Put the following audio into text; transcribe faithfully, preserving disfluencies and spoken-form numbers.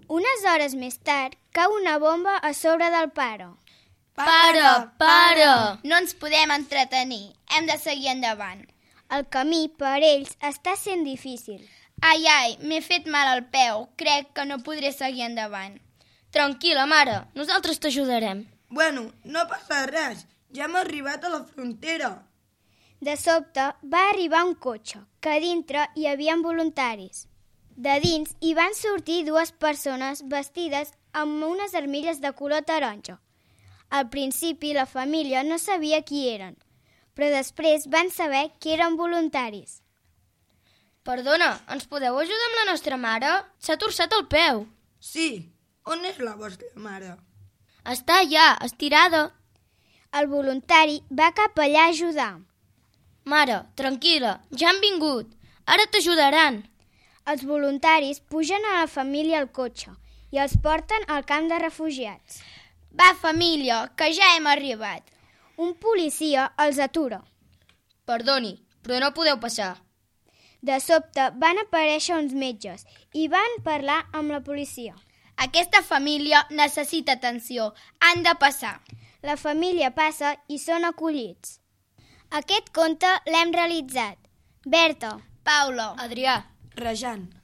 Unes hores més tard, cau una bomba a sobre del pare. Pare, pare! No ens podem entretenir, hem de seguir endavant. El camí per ells està sent difícil. Ai, ai, m'he fet mal al peu, crec que no podré seguir endavant. Tranquil·la, mare, nosaltres t'ajudarem. Bueno, no passa res, ja hem arribat a la frontera. De sobte va arribar un cotxe, que a dintre hi havia voluntaris. De dins hi van sortir dues persones vestides amb unes armilles de color taronja. Al principi la família no sabia qui eren, però després van saber que eren voluntaris. Perdona, ens podeu ajudar amb la nostra mare? S'ha torçat el peu. Sí, on és la vostra mare? Està allà, estirada. El voluntari va cap allà a ajudar. Mare, tranquil·la, ja han vingut. Ara t'ajudaran. Els voluntaris pugen a la família al cotxe i els porten al camp de refugiats. Va, família, que ja hem arribat. Un policia els atura. Perdoni, però no podeu passar. De sobte van aparèixer uns metges i van parlar amb la policia. Aquesta família necessita atenció, han de passar. La família passa i són acollits. Aquest conte l'hem realitzat Berta, Paula, Adrià, Rajan.